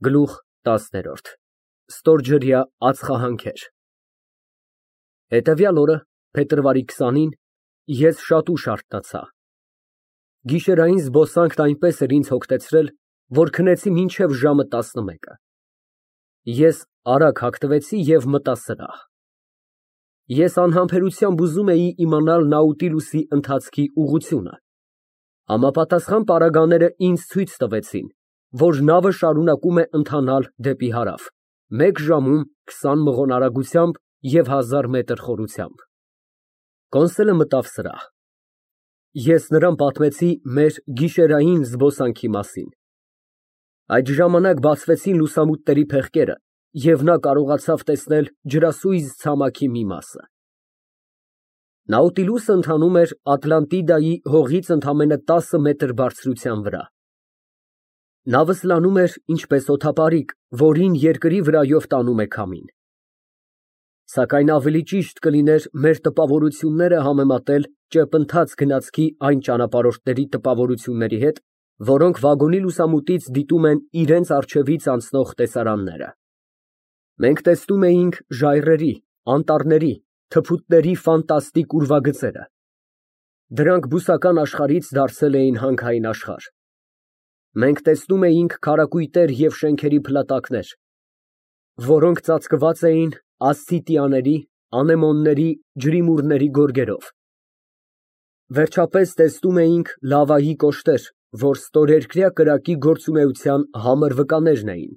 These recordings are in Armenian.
Գլուխ 10 Ստորջրյա ածխահանքեր Հետևյալ օրը, փետրվարի 20-ին, ես շատ ուշ արթնացա։ Գիշերային զբոսանքն այնպես էր ինձ հոգնեցրել, որ քնեցի մինչև ժամը 11-ը։ Ես արագ հագնվեցի և մտա սրահ։ Ես անհամբերությամբ ուզում էի իմանալ Նաուտիլուսի ընթացքի ուղղությունը։ Համապատասխան պարագաները ինձ ցույց տվեցին, որ նավը շարունակում է ընթանալ դեպի հարավ, 1 ժամում 20 մղոն արագությամբ և 1000 մետր խորությամբ։ Կոնսուլը մտավ սրահ։ Ես նրան պատմեցի մեր գիշերային զբոսանքի մասին։ Այդ ժամանակ բացվեցին լուսամուտների փեղկերը, և նա կարողացավ տեսնել ջրասույզ ցամաքի մի մասը։ Նաուտիլուսը ընթանում էր Ատլանտիդայի հողից ընդամենը 10 մետր բարձրության վրա։ Նավը սլանում էր ինչպես օդապարիկ, որին երկրի վրայով տանում է քամին։ Սակայն ավելի ճիշտ կլիներ մեր տպավորությունները համեմատել ճեպընթաց գնացքի այն ճանապարհորդների տպավորությունների հետ, որոնք վագոնի լուսամուտից դիտում են իրենց առջևից անցնող տեսարանները։ Մենք տեսնում էինք ժայռերի, անտառների, թփուտների ֆանտաստիկ ուրվագծերը։ Դրանք բուսական աշխարհից դարձել էին հանքային աշխարհ։ Մենք տեսնում էինք քարակույտեր և շենքերի փլատակներ, որոնք ծածկված էին ասցիտիաների, անեմոնների, ջրիմուռների գորգերով։ Վերջապես տեսնում էինք լավայի կոշտեր, որ ստորերկրյա կրակի գործունեության համր վկաներն էին։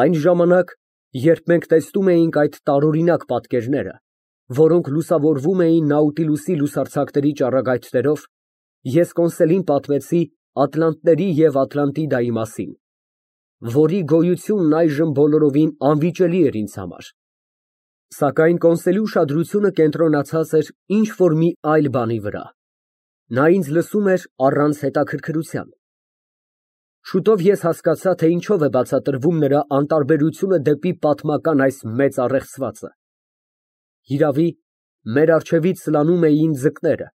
Այն ժամանակ, երբ մենք տեսնում էինք այդ տարօրինակ պատկերները, որոնք լուսավորվում էին Նաուտիլուսի լուսարձակների ճառագայթներով, ես Կոնսելին պատմեցի ատլանտների և Ատլանտիդայի մասին, որի գոյությունն այժմ բոլորովին անվիճելի էր ինձ համար։ Սակայն Կոնսելի ուշադրությունը կենտրոնացած էր ինչ֊որ մի այլ բանի վրա։ Նա ինձ լսում էր առանց հետաքրքրության։ Շուտով ես հասկացա, թե ինչով է բացատրվում նրա անտարբերությունը դեպի պատմական այս մեծ առեղծվածը։ Հիրավի, մեր առջևից սլանում էին ձկները,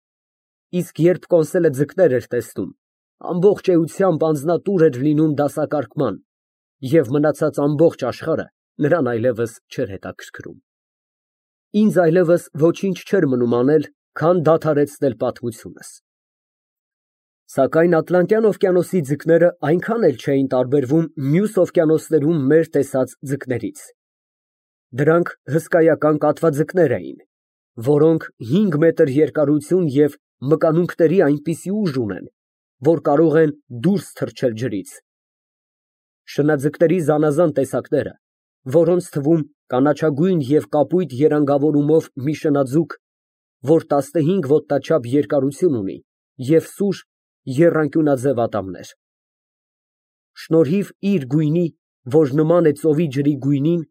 իսկ երբ Կոնսելը ձկներ էր տեսնում, ամբողջ էությամբ անձնատուր էր լինում դասակարգման, և մնացած ամբողջ աշխարհը նրան այլևս չէր հետաքրքրում։ Ինձ այլևս ոչինչ չէր մնում անել, քան դադարեցնել պատմությունս։ Սակայն Ատլանտյան օվկիանոսի ձկները այնքան էլ չէին տարբերվում մյուս օվկիանոսներում մեր տեսած ձկներից։ Դրանք հսկայական կատվաձկներ էին, որոնք 5 մետր երկարություն և մկանունքների այնպիսի ուժ ունեն, որ կարող են դուրս թռչել ջրից։ Շնաձկների զանազան տեսակները, որոնց թվում կանաչագույն և կապույտ երանգավորումով մի շնաձուկ, որ 15 ոտնաչափ երկարություն ունի և սուր եռանկյունաձև ատամներ։ Շնորհիվ իր գույնի, որ նման է ծովի ջրի գույնին,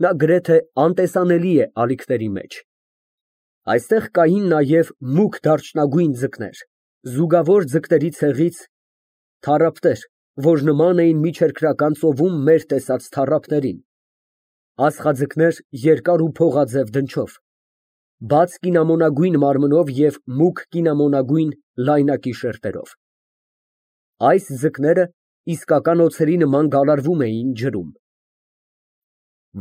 նա գրեթե անտեսանելի է ալիքների մեջ։ Այստեղ կային նաև մուգ դարչնագույն ձկներ, զուգավոր ձկների ցեղից, թառափտեր, որ նման էին միջերկրական ծովում մեր տեսած թառափներին, աստղաձկներ երկար ու փողաձև դնչով, բաց կինամոնագույն մարմնով և մուգ կինամոնագույն լայնակի շերտերով։ Այս ձկները իսկական օձերի նման գալարվում էին ջրում։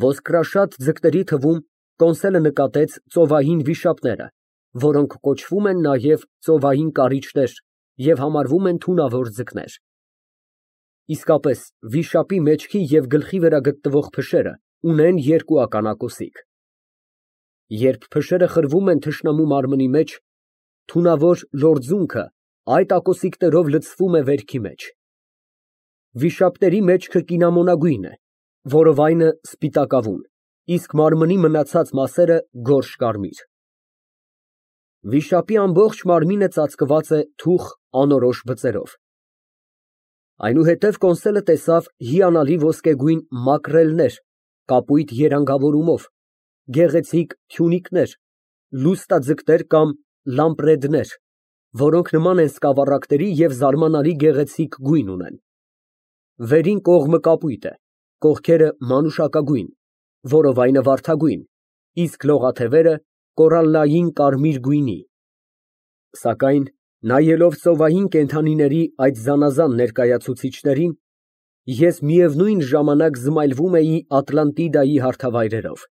Ոսկրաշատ ձկների թվում Կոնսելը նկատեց ծովային վիշապները, որոնք կոչվում են նաև ծովային կարիճներ և համարվում են թունավոր ձկներ։ Իսկապես, վիշապի մեջքի և գլխի վրա գտնվող փշերը ունեն 2 ականակոսիկ։ Երբ փշերը խրվում են թշնամու մարմնի մեջ, թունավոր լորձունքը այդ ակոսիկներով լցվում է վերքի մեջ։ Վիշապների մեջքը կինամոնագույն է, որովայնը սպիտակավուն, իսկ մարմնի մնացած մասերը գորշ կարմիր։ Վիշապի ամբողջ մարմինը ծածկված է թուխ անորոշ բծերով։ Այնուհետև Կոնսելը տեսավ հիանալի ոսկեգույն մակրելներ կապույտ երանգավորումով, գեղեցիկ թյունիկներ, լուստաձկներ կամ լամպրեդներ, որոնք նման են սկավառակների և զարմանալի գեղեցիկ գույն ունեն։ Վերին կողմը կապույտ է, կողքերը մանուշակագույն, որովայնը վարդագույն, իսկ լողաթևերը կորալլային կարմիր գույնի։ Սակայն նայելով ծովային կենդանիների այդ զանազան ներկայացուցիչներին, ես միևնույն ժամանակ զմայլվում էի Ատլանտիդայի հարթավայրերով։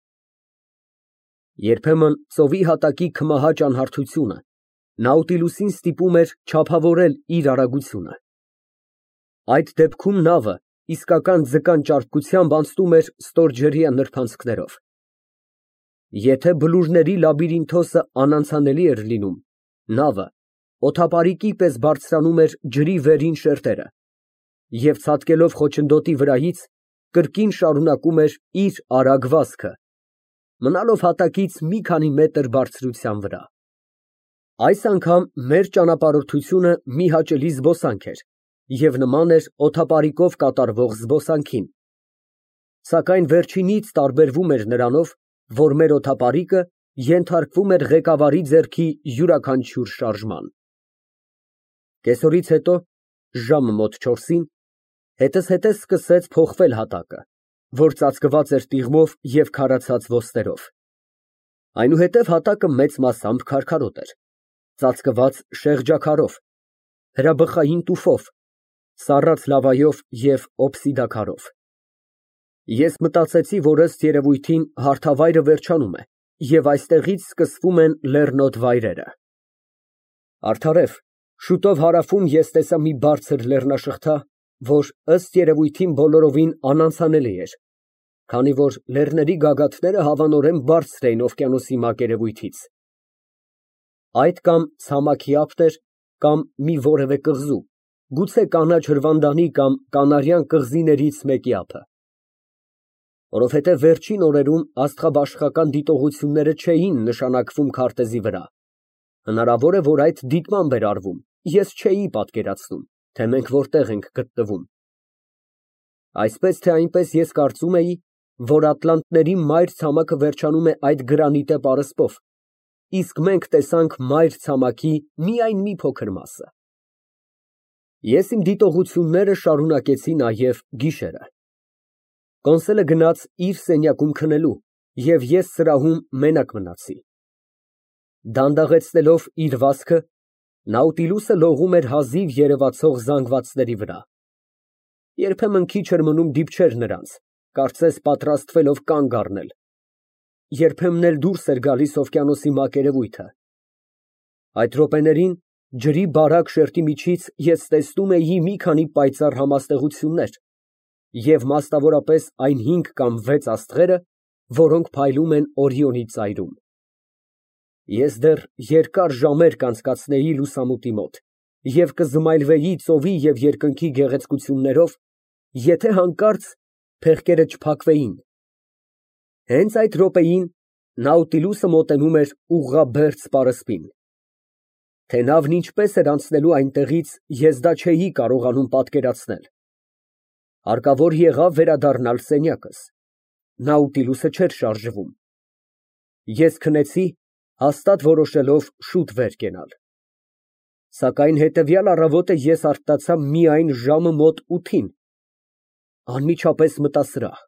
Երբեմն ծովի հատակի քմահաճ անհարթությունը Նաուտիլուսին ստիպում էր չափավորել իր արագությունը։ Այդ դեպքում նավը իսկական ձկան ճարպկությամբ անցնում էր ստորջրյա նրբանցքներով։ Եթե բլուրների լաբիրինթոսը անանցանելի էր լինում, նավը օդապարիկի պես բարձրանում էր ջրի վերին շերտերը և ցատկելով խոչընդոտի վրայից, կրկին շարունակում էր իր արագ վազքը, մնալով հատակից մի քանի մետր բարձրության վրա։ Այս անգամ մեր ճանապարհորդությունը մի հաճելի զբոսանք էր և նման էր օդապարիկով կատարվող զբոսանքին, սակայն վերջինից տարբերվում էր նրանով, որ մեր օդապարիկը ենթարկվում էր ղեկավարի ձեռքի յուրաքանչյուր շարժման։ Կեսօրից հետո, ժամը մոտ 4-ին, հետզհետե սկսեց փոխվել հատակը, որ ծածկված էր տիղմով և քարացած ոսկերով։ Այնուհետև հատակը մեծ մասամբ քարքարոտ էր, ծածկված շեղջաքարով, հրաբխային տուֆով, սառած լավայով և օբսիդաքարով։ Ես մտածեցի, որ ըստ երևույթին հարթավայրը վերջանում է և այստեղից սկսվում են լեռնոտ վայրերը։ Արդարև, շուտով հարավում ես տեսա մի բարձր լեռնաշղթա, որ ըստ երևույթին բոլորովին անանցանելի էր, քանի որ լեռների գագաթները հավանորեն բարձր էին օվկիանոսի մակերևույթից։ Այդ կամ ցամաքի ափտ էր, կամ մի որևէ կղզու, գուցե կանաչ հրվանդանի կամ կանարյան կղզիներից մեկի ափը։ Որովհետև վերջին օրերում աստղաբաշխական դիտողությունները չէին նշանակվում քարտեզի վրա, հնարավոր է, որ այդ դիտմամբ էր արվում, ես չէի պատկերացնում, թե մենք որտեղ ենք գտնվում։ Այսպես թե այնպես ես կարծում էի, որ ատլանտների մայր ցամաքը վերջանում է այդ գրանիտե պարսպով, իսկ մենք տեսանք մայր ցամաքի միայն մի փոքր մասը։ Ես իմ դիտողությունները շարունակեցի նաև գիշերը։ Կոնսոլը գնաց իր սենյակում քնելու, և ես սրահում մենակ մնացի։ Դանդաղեցնելով իր վազքը, Նաուտիլուսը լողում էր հազիվ երևացող զանգվածների վրա։ Երբեմն քիչ էր մնում դիպչեր նրանց, կարծես պատրաստվելով կանգ առնել, երբեմն էլ դուրս էր գալիս օվկիանոսի մակերևույթը։ Այդ րոպեներին ջրի բարակ շերտի միջից ես տեսնում էի մի քանի պայծառ համաստեղություններ և մասնավորապես այն 5 կամ 6 աստղերը, որոնք փայլում են Օրիոնի ծայրում։ Ես դեռ երկար ժամեր կանցկացնեի լուսամուտի մոտ և կզմայլվեի ծովի և երկնքի գեղեցկություններով, եթե հանկարծ փեղկերը չփակվեին։ Հենց այդ րոպեին Նաուտիլուսը մոտենում էր ուղղաբերձ պարսպին։ Թե նավն ինչպես էր անցնելու այնտեղից, ես դա չէի կարողանում պատկերացնել։ Հարկավոր եղավ վերադառնալ սենյակս։ Նաուտիլուսը չէր շարժվում։ Ես քնեցի, հաստատ որոշելով շուտ վեր կենալ։ Սակայն հետևյալ առավոտը ես արթնացա միայն ժամը մոտ 8-ին, անմիջապես մտա սրահ։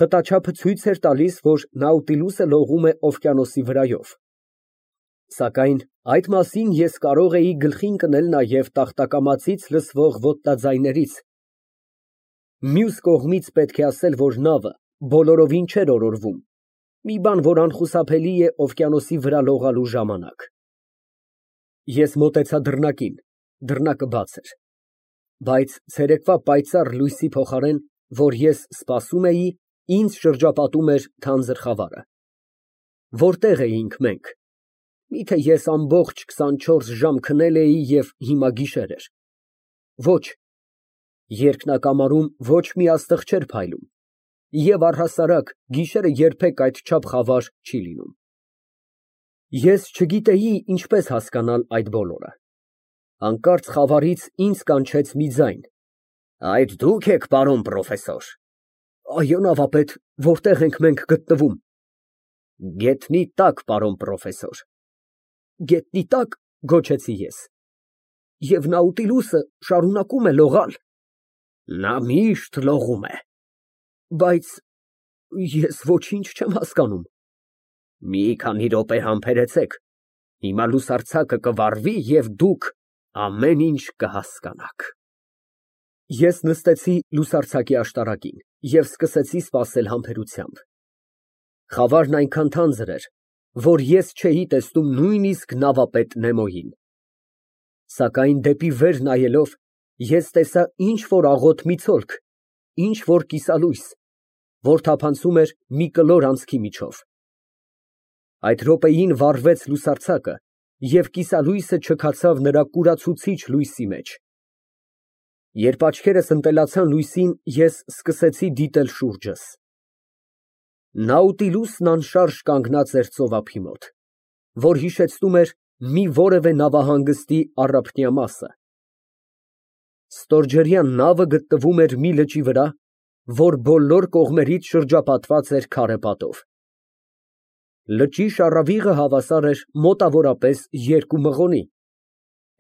Խտաչափը ցույց էր տալիս, որ Նաուտիլուսը լողում է օվկիանոսի վրայով։ Սակայն այդ մասին ես կարող էի գլխի ընկնել նաև տախտակամածից լսվող ոտնաձայներից։ Մյուս կողմից պետք է ասել, որ նավը բոլորովին չէր օրորվում, մի բան, որ անխուսափելի է օվկիանոսի վրա լողալու ժամանակ։ Ես մոտեցա դռնակին, դռնակը բաց էր, բայց ցերեկվա պայծառ լույսի փոխարեն, որ ես սպասում էի, ինձ շրջապատում էր թանձր խավարը։ Որտե՞ղ էինք մենք։ Միթե ես ամբողջ 24 ժամ քնել էի և հիմա գիշեր էր։ Ոչ, երկնակամարում ոչ մի աստղ չէր փայլում, և առհասարակ գիշերը երբեք այդչափ խավար չի լինում։ Ես չգիտեի ինչպես հասկանալ այդ բոլորը։ Հանկարծ խավարից ինձ կանչեց մի ձայն. «Այդ դու՞ք եք, պարոն պրոֆեսոր»։ Այո, նավապետ, որտե՞ղ ենք մենք գտնվում։ Գետնի տակ, պարոն պրոֆեսոր։ Գետնի տա՞կ, գոչեցի ես։ Եվ Նաուտիլուսը շարունակում է լողալ։ Նա միշտ լողում է։ Բայց ես ոչինչ չեմ հասկանում։ Մի քանի րոպե համբերեցեք, հիմա լուսարձակը կվառվի և դուք ամեն ինչ կհասկանաք։ Ես նստեցի լուսարձակի աշտարակին և սկսեցի սպասել համբերությամբ։ Խավարն այնքան թանձր էր, որ ես չէի տեսնում նույնիսկ նավապետ Նեմոյին։ Սակայն դեպի վեր նայելով, ես տեսա ինչ֊որ աղոտ մի ցոլք, ինչ֊որ կիսալույս, որ թափանցում էր մի կլոր անցքի միջով։ Այդ րոպեին վառվեց լուսարձակը, և կիսալույսը չքացավ նրա կուրացուցիչ լույսի մեջ։ Երբ աչքերս ընտելացան լույսին, ես սկսեցի դիտել շուրջս։ Նաուտիլուսն անշարժ կանգնած էր ծովափի մոտ, որ հիշեցնում էր մի որևէ նավահանգստի առափնյա մասը։ Ստորջրյա նավը գտնվում էր մի լճի վրա, որ բոլոր կողմերից շրջապատված էր քարե պատով։ Լճի շառավիղը հավասար էր մոտավորապես 2 մղոնի,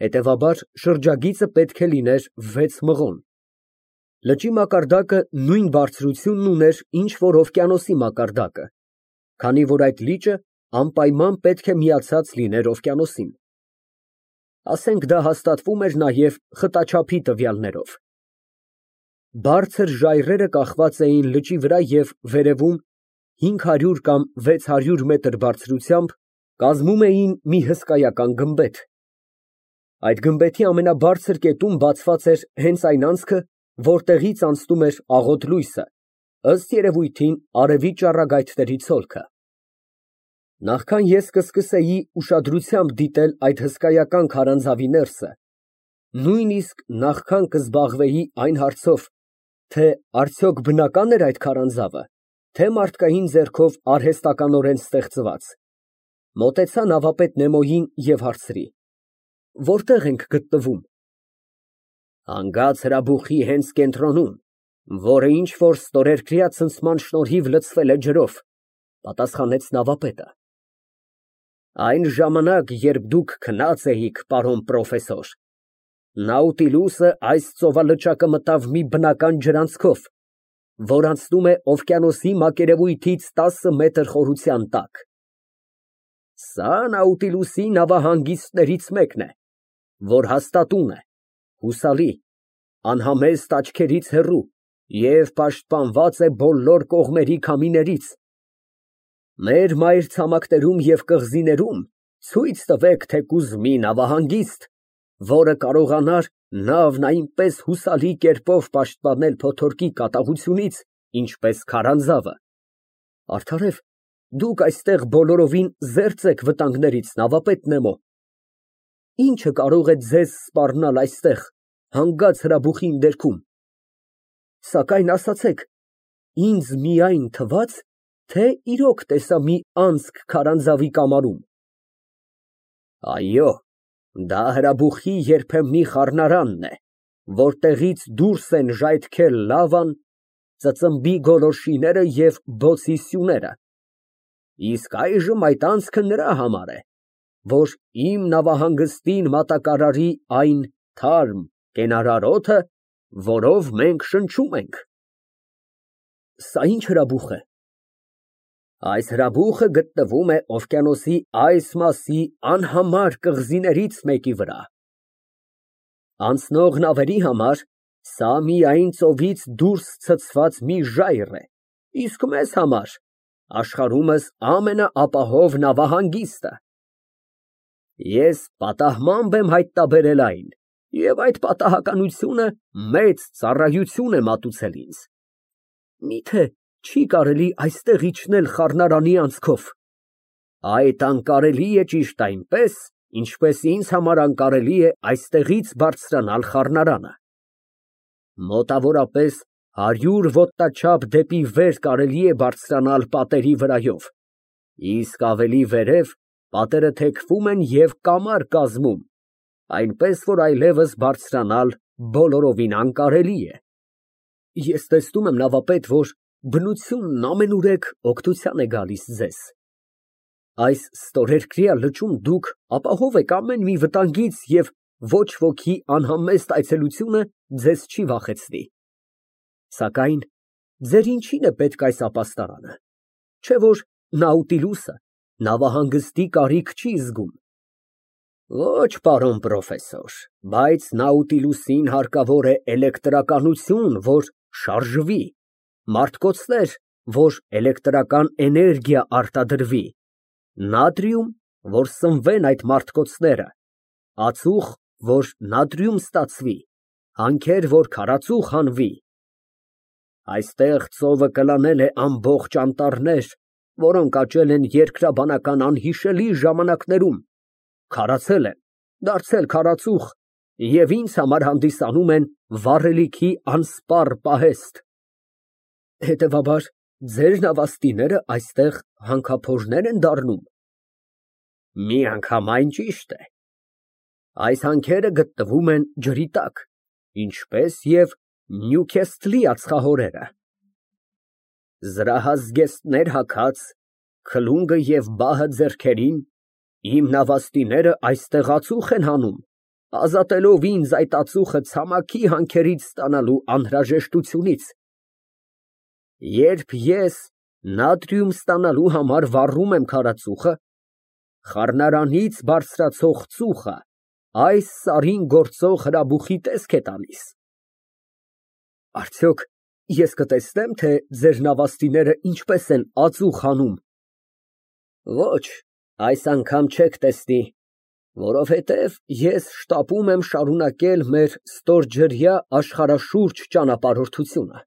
հետևաբար շրջագիծը պետք է լիներ 6 մղոն։ Լճի մակարդակը նույն բարձրությունն ուներ, ինչ որ օվկիանոսի մակարդակը, քանի որ այդ լիճը անպայման պետք է միացած լիներ օվկիանոսին։ Ասենք դա հաստատվում էր նաև խտաչափի տվյալներով։ Բարձր ժայռերը կախված էին լճի վրա և վերևում 500 կամ 600 մետր բարձրությամբ կազմում էին մի հսկայական գմբեթ։ Այդ գմբեթի ամենաբարձր կետում բացված էր հենց այն անցքը, որտեղից անցնում էր աղոտ լույսը, ըստ երևույթին արևի ճառագայթների ցոլքը։ Նախքան ես կսկսեի ուշադրությամբ դիտել այդ հսկայական քարանձավի ներսը, նույնիսկ նախքան կզբաղվեի այն հարցով, թե արդյոք բնական էր այդ քարանձավը, թե մարդկային ձեռքով արհեստականորեն ստեղծված, մոտեցա նավապետ Նեմոյին և հարցրի. Որտե՞ղ ենք գտնվում։ Հանգած հրաբուխի հենց կենտրոնում, որը ինչ որ ստորերկրյա ցնցման շնորհիվ լցվել է ջրով, պատասխանեց նավապետը։ Այն ժամանակ, երբ դուք քնած էիք, պարոն պրոֆեսոր, Նաուտիլուսը այս ծովալճակը մտավ մի բնական ջրանցքով, որ անցնում է օվկիանոսի մակերևույթից 10 մետր խորության տակ։ Սա Նաուտիլուսի նավահանգիստներից մեկն է, որ հաստատուն է, հուսալի, անհամեստ աչքերից հեռու և պաշտպանված է բոլոր կողմերի քամիներից։ Մեր մայրցամաքներում և կղզիներում ցույց տվեք թեկուզ մի նավահանգիստ, որը կարողանար նավն այնպես հուսալի կերպով պաշտպանել փոթորկի կատաղությունից, ինչպես քարանձավը։ Արդարև, դուք այստեղ բոլորովին զերծ եք վտանգներից, նավապետ Նեմո։ Ինչը կարող է ձեզ սպառնալ այստեղ, հանգած հրաբուխի ընդերքում։ Սակայն ասացեք, ինձ միայն թվաց, թե իրոք տեսա մի անցք քարանձավի կամարում։ Այո, դա հրաբուխի երբեմնի խառնարանն է, որտեղից դուրս են ժայթքել լավան, ծծմբի գոլորշիները և բոցի սյուները։ Իսկ այժմ այդ անցքը նրա համար է, որ իմ նավահանգստին մատակարարի այն թարմ, կենարար օդը, որով մենք շնչում ենք։ Սա ի՞նչ հրաբուխ է։ Այս հրաբուխը գտնվում է օվկիանոսի այս մասի անհամար կղզիներից մեկի վրա։ Անցնող նավերի համար սա միայն ծովից դուրս ցցված մի ժայռ է, իսկ մեզ համար աշխարհումս ամենաապահով նավահանգիստը։ Ես պատահմամբ եմ հայտնաբերել այն, և այդ պատահականությունը մեծ ծառայություն է մատուցել ինձ։ Միթե չի կարելի այստեղ իջնել խառնարանի անցքով։ Այդ անկարելի է ճիշտ այնպես, ինչպես ինձ համար անկարելի է այստեղից բարձրանալ խառնարանը։ Մոտավորապես 100 ոտնաչափ դեպի վեր կարելի է բարձրանալ պատերի վրայով, իսկ ավելի վերև պատերը թեքվում են և կամար կազմում, այնպես որ այլևս բարձրանալ բոլորովին անկարելի է։ Ես տեսնում եմ, նավապետ, որ բնությունն ամենուրեք օգնության է գալիս ձեզ։ Այս ստորերկրյա լճում դուք ապահով եք ամեն մի վտանգից և ոչ ոքի անհամեստ այցելությունը ձեզ չի վախեցնի։ Սակայն ձեր ինչի՞ն է պետք այս ապաստարանը, չէ՞ որ Նաուտիլուսը նավահանգստի կարիք չի զգում։ Ոչ, պարոն պրոֆեսոր, բայց Նաուտիլուսին հարկավոր է էլեկտրականություն, որ շարժվի, մարդկոցներ, որ էլեկտրական էներգիա արտադրվի, նատրիում, որ սնվեն այդ մարդկոցները, ածուխ, որ նատրիում ստացվի, հանքեր, որ քարածուխ հանվի։ Այստեղ ծովը կլանել է ամբողջ անտառներ, որոնք աճել են երկրաբանական անհիշելի ժամանակներում, քարացել են, դարձել քարածուխ և ինձ համար հանդիսանում են վառելիքի անսպառ պահեստ։ Հետևաբար, ձեր նավաստիները այստեղ հանքափորներ են դառնում։ Միանգամայն ճիշտ է։ Այս հանքերը գտնվում են ջրի տակ, ինչպես և Նյուքեսթլի ածխահորերը։ Զրահազգեստներ հագած, քլունգը և բահը ձեռքերին, իմ նավաստիները այստեղ ածուխ են հանում, ազատելով ինձ այդ ածուխը ցամաքի հանքերից ստանալու անհրաժեշտությունից։ Երբ ես նատրիում ստանալու համար վառում եմ քարածուխը, խառնարանից բարձրացող ծուխը այս սարին գործող հրաբուխի տեսք է տալիս։ Արդյոք ես կտեսնե՞մ, թե ձեր նավաստիները ինչպես են ածուխ հանում։ Ոչ, այս անգամ չեք տեսնի, որովհետև ես շտապում եմ շարունակել մեր ստորջրյա աշխարհաշուրջ ճանապարհորդությունը։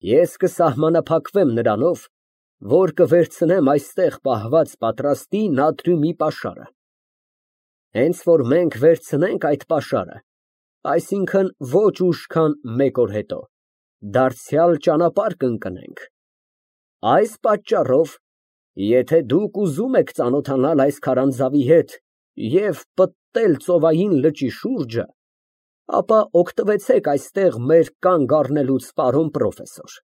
Ես կսահմանափակվեմ նրանով, որ կվերցնեմ այստեղ պահված պատրաստի նատրիումի պաշարը։ Հենց որ մենք վերցնենք այդ պաշարը, այսինքն ոչ ուշ, քան 1 օր հետո, դարձյալ ճանապարհ կընկնենք։ Այս պատճառով, եթե դուք ուզում եք ծանոթանալ այս քարանձավի հետ և պտտել ծովային լճի շուրջը, ապա օգտվեցեք այստեղ մեր կանգ առնելուց, պարոն պրոֆեսոր։